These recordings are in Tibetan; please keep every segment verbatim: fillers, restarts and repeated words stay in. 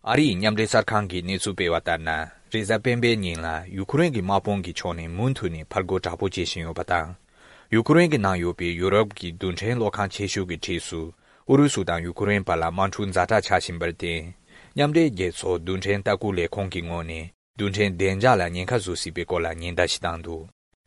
ཨ་རིའི་མཉམ་འབྲེལ་གསར་ཁང་གིས་གནས་ཚུལ་སྤེལ་བ་ལྟར་ན། རེས་གཟའ་སྤེན་པའི་ཉིན་ལ་ཡུ་ཁུ་རེན་གྱི་དམག་དཔུང་གི་ཕྱོགས་ནས་མུ་མཐུད་ནས་ཕར་རྒོལ་དྲག་པོ་བྱེད་བཞིན་ཡོད་པ་དང་། ཡུ་ཁུ་རེན་གྱི་ནང་ཡོད་པའི་ཡུ་རོབ་ཀྱི་རྡུལ་ཕྲན་གློག་ཁང་ཆེ་ཤོས་ཀྱི་འཁྲིས་སུ། ཨུ་རུ་སུ་དང་ཡུ་ཁུ་རེན་བར་ལ་དམག་འཁྲུག་ཛ་དྲག་ཆགས་བཞིན་པར་བརྟེན། མཉམ་འབྲེལ་རྒྱལ་ཚོགས་རྡུལ་ཕྲན་ལྟ་སྐུལ་ལས་ཁུངས་ཀྱི་ངོས་ནས། རྡུལ་ཕྲན་བདེ་འཇགས་ལ་ཉེན་ཁ་བཟོ་སྲིད་པའི་སྐོར་ལ་ཉེན་བརྡ་ཞིག་བཏང་འདུག་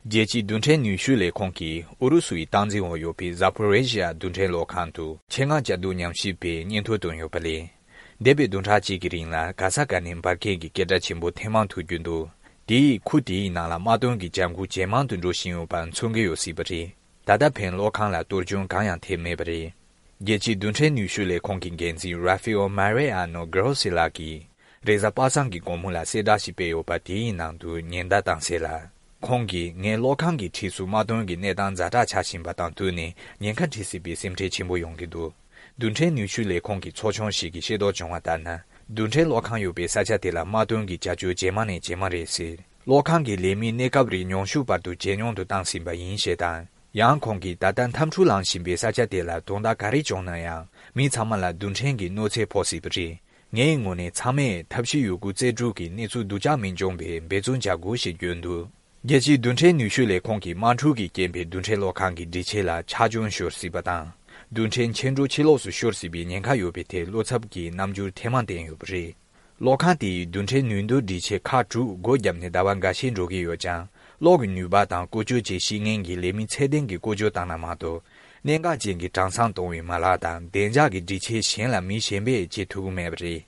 རྒྱལ་སྤྱིའི་རྡུལ་ཕྲན་ནུས་ཤུགས་ལས་ཁུངས་ཀྱིས་ཨུ་རུ་སུ་ཡི་སྟངས་འཛིན་འོག་ཡོད་པའི་Zaporizhzhia་རྡུལ་ཕྲན་གློག་ཁང་དུ་ཆེད་མངགས་བཅའ་སྡོད་ཉམས་ཞིབ་པའི་སྙན་ཐོ་བཏོན་ཡོད་པ་ལས། འདས་པའི་བདུན་ཕྲག་གཅིག་གི་རིང་ལ་ག་ས་ག་ནས་འབར་གས་ཀྱི་སྐད་སྒྲ་ཆེན་པོ་ཐེངས་མང་ཐོས་རྒྱུ་འདུག་དེ་ཡིས་ཁུལ་དེའི་ནང་ལ་དམག་དོན་གྱི་བྱ་འགུལ་ཇེ་མང་དུ་འགྲོ་བཞིན་ཡོད་པ་མཚོན་གྱི་ཡོད་སྲིད་པ་རེད། ད་ལྟ་ཕན་གློག་ཁང་ལ་གཏོར་སྐྱོན་གང་ཡང་ཐེབས་མེད་པ་རེད། རྒྱལ་སྤྱིའི་རྡུལ་ཕྲན་ནུས་ཤུགས་ལས་ཁུངས་ཀྱི་འགན་འཛིན་Rafael Mariano Grossi་ལགས་ཀྱིས། རེས་གཟའ་པ་སངས་ཀྱི་དགོང་མོ་ལ་གསལ་བསྒྲགས་ཤིག་སྤེལ་ཡོད་པ་དེའི་ནང་དུ་ཉེན་བརྡ་བཏང་གསལ་ལ། ཁོང་གིས་ངས་གློག་ཁང་གི་འཁྲིས་སུ་དམག་དོན་གྱི་གནས་སྟངས་ཛ་དྲག་ཆགས་བཞིན་པ་དང་བསྟུན་ནས་ཉེན་ཁ་འཕྲད་སྲིད་པའི་སེམས་ཁྲལ་ཆེན་པོ་ཡོང་གི་འདུག་རྡུལ་ཕྲན་ནུས་ཤུགས་ལས་ཁུངས་ཀྱི་ཚོགས་ཆུང་ཞིག་གིས་ཤེས་རྟོགས་བྱུང་བ་ལྟར་ན། རྡུལ་ཕྲན་གློག་ཁང་ཡོད་པའི་ས་ཆ་དེ་ལ་དམག་དོན་གྱི་བྱ་སྤྱོད་ཇེ་མང་ནས་ཇེ་མང་རེད་ཟེར། གློག་ཁང་གི་ལས་མིའི་གནས་སྐབས་རིང་ཉུང་ཤོས་བར་དུ་ཇེ་ཉུང་དུ་བཏང་ཟིན་པ་ཡིན་ཞེས་དང་། ཡང་ཁོང་གིས་ད་ལྟ་འཐབ་འཁྲུག་ལངས་བཞིན་པའི་ས་ཆ་དེ་ལ་དོན་དག་ག་རེ་བྱུང་ན་ཡང་མི་ཚང་མ་ལ་རྡུལ་ཕྲན་གྱི་གནོད་འཚེ་ཕོག་སྲིད་པ་རེད། ངའི་ངོས་ནས་ཚང་མས་ཐབས་ཤེས་ཡོད་རྒུ་རྩལ་སྤྲུགས་ཀྱིས་གནས་ཚུལ་སྡུག་ཅག་མི་འབྱུང་བའི་འབད་བརྩོན་བྱ་དགོས་ཞེས་བརྗོད་འདུག་རྒྱལ་སྤྱིའི་རྡུལ་ཕྲན་ནུས་ཤུགས་ལས་ཁུངས་ཀྱིས་དམག་འཁྲུག་གི་རྐྱེན་པས་རྡུལ་ཕྲན་གློག་ཁང་གི་སྒྲིག་ཆས་ལ་ཆག་སྐྱོན་ཤོར་སྲིད་པ་དང་། རྡུལ་ཕྲན་ཆེ་འགྲོ་ཕྱི་ལོགས་སུ་ཤོར་སྲིད་པའི་ཉེན་ཁ་ཡོད་པའི་ཐད་བློ་འཚབ་ཀྱི་རྣམ་འགྱུར་ཐེངས་མང་བསྟན་ཡོད་པ་རེད། གློག་ཁང་དེ་ཡི་རྡུལ་ཕྲན་ནུས་འདོན་སྒྲིག་ཆས་ཁག་དྲུག་སྒོ་བརྒྱབ་ནས་ཟླ་བ་འགའ་ཤས་འགྲོ་གི་ཡོད་ཀྱང་། གློག་གི་ནུས་པ་དང་བཀོལ་སྤྱོད་བྱེད་ཤེས་མཁན་གྱི་ལས་མི་ཚད་ལྡན་གྱིས་བཀོལ་སྤྱོད་བཏང་ན་མ་གཏོགས། གནད་འགག་ཅན་གྱི་གྲངས་ཚང་གཏོང་བའི་མ་ལག་དང་བདེ་འཇགས་ཀྱི་སྒྲིག་ཆས་གཞན་ལ་མི་གཞན་པས་བྱེད་ཐུབ་ཀྱི་མེད་པ་རེད།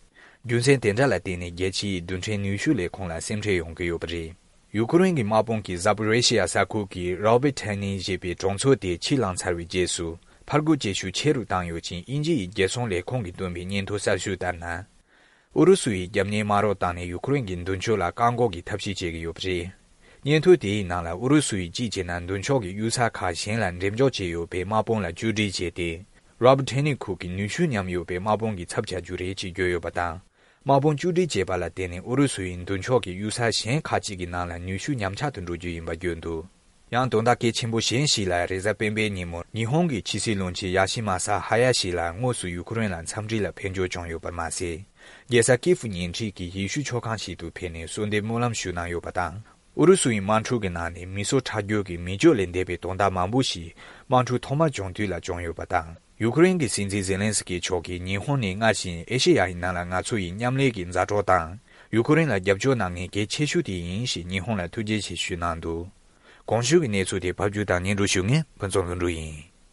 རྒྱུ་མཚན་དེ་འདྲ་ལ་བརྟེན་ནས་རྒྱལ་སྤྱིའི་རྡུལ་ཕྲན་ནུས་ཤུགས་ལས་ཁུངས་ལ་སེམས་ཁྲལ་ཡོང་གི་ཡོད་པ་རེད། ཡུ་ཁུ་རེན་གྱི་དམག་དཔུང་གིས་Zaporizhzhia་ས་ཁུལ་གྱི་Robotyne་ཞེས་པའི་གྲོང་ཚོ་དེ་ཕྱིར་བླངས་ཚར་བའི་རྗེས་སུ། ཕར་རྒོལ་བྱེད་ཤུགས་ཆེ་རུ་བཏང་ཡོད་ཅིང་། དབྱིན་ཇི་ཡི་རྒྱལ་སྲུང་ལས་ཁུངས་ཀྱིས་བཏོན་པའི་སྙན་ཐོ་གསར་ཤོས་ལྟར་ན། ཨུ་རུ་སུ་ཡིས་རྒྱབ་གཉེར་དམག་རོགས་བཏང་ནས་ཡུ་ཁུ་རེན་གྱི་མདུན་ཕྱོགས་ལ་བཀག་འགོག་གི་ཐབས་ཤེས་བྱེད་ཀྱི་ཡོད་པ་རེད། སྙན་ཐོ་དེའི་ནང་ལ་ཨུ་རུ་སུ་ཡིས་གཅིག་བྱས་ན་མདུན་ཕྱོགས་ཀྱི་གཡུལ་ས་ཁག་གཞན་ལ་འགྲེམས་འཇོག་བྱས་ཡོད་པའི་དམག་དཔུང་ལ་བཅོས་སྒྲིག་བྱས་ཏེ། Robotyne་ཁུལ་གྱི་ནུས་ཤུགས་ཉམས་ཡོད་པའི་དམག་དཔུང་གི་ཚབ་བྱ་རྒྱུ་རེད་ཅེས་བརྗོད་ཡོད་པ་དང་། དམག་དཔུང་བཅོས་སྒྲིག་བྱས་པ་ལ་བརྟེན་ནས་ཨུ་རུ་སུ་ཡིས་མདུན་ཕྱོགས་ཀྱི་གཡུལ་ས་གཞན་ཁག་ཅིག་གི་ནང་ལ་ནུས་ཤུགས་ཉམས་ཆག་ཏུ་འགྲོ་རྒྱུ་ཡིན་པ་བརྗོད་འདུག་ཡང་དོན་དག་གལ་ཆེན་པོ་གཞན་ཞིག་ལ། རེས་གཟའ་སྤེན་པའི་ཉིན་མོར་ཉི་ཧོང་གི་ཕྱི་སྲིད་བློན་ཆེན་ཡ་ཤི་མ་ས་ཧ་ཡ་ཤི་ལགས་དངོས་སུ་ཡུ་ཁུ་རེན་ལ་འཚམས་འདྲི་ལ་ཕེབས་འབྱོར་བྱུང་ཡོད་པར་མ་ཟད། རྒྱལ་ས་ཀི་ཧྥུ་ཉེ་འཁྲིས་ཀྱི་ཡེ་ཤུ་ཆོས་ཁང་ཞིག་ཏུ་ཕེབས་ནས་གསོལ་འདེབས་སྨོན་ལམ་ཞུས་གནང་ཡོད་པ་དང་། ཨུ་རུ་སུ་ཡི་དམག་འཁྲུག་གི་ནང་ནས་མི་གསོད་ཁྲག་སྦྱོར་གྱི་མི་སྤྱོད་ལས་འདས་པའི་དོན་དག་མང་པོ་ཞིག་དམག་འཁྲུག་ཐོག་མར་བྱུང་དུས་ལ་བྱུང་ཡོད་པ་དང་། ཡུ་ཁུ་རེན་གྱི་སྲིད་འཛིན་ཛེ་ལན་སི་ཀི་མཆོག་གིས་ཉི་ཧོང་ནི་སྔར་བཞིན་ཨེ་ཤེ་ཡ་ཡི་ནང་ལ་ང་ཚོ་ཡི་མཉམ་ལས་ཀྱི་མཛའ་གྲོགས་དང་། ཡུ་ཁུ་རེན་ལ་རྒྱབ་སྐྱོར་གནང་མཁན་གལ་ཆེ་ཤོས་དེ་ཡིན་ཞེས་ཉི་ཧོང་ལ་ཐུགས་རྗེ་ཆེ་ཞུས་གནང་འདུག་གོང་ཞུས་ཀྱི་གནས་ཚུལ་དེ་ཕབ་སྒྱུར་དང་སྙན་སྒྲོན་ཞུ་མཁན་ཕུན་ཚོགས་ལྷུན་གྲུབ་ཡིན།